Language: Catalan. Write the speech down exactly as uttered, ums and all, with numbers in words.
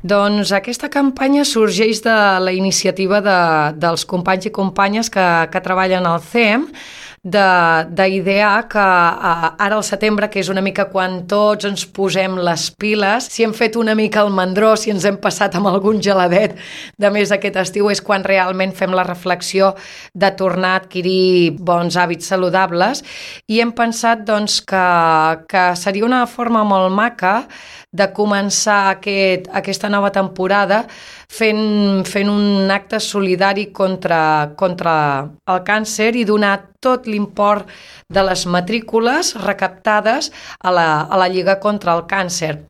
Doncs aquesta campanya sorgeix de la iniciativa de, dels companys i companyes que, que treballen al C E M, d'idear que uh, ara al setembre, que és una mica quan tots ens posem les piles, si hem fet una mica el mandró, si ens hem passat amb algun geladet de més aquest estiu, és quan realment fem la reflexió de tornar a adquirir bons hàbits saludables, i hem pensat doncs, que, que seria una forma molt maca de començar aquest, aquesta nova temporada fent, fent un acte solidari contra, contra el càncer i donar tot l'import de les matrícules recaptades a la, a la Lliga contra el Càncer.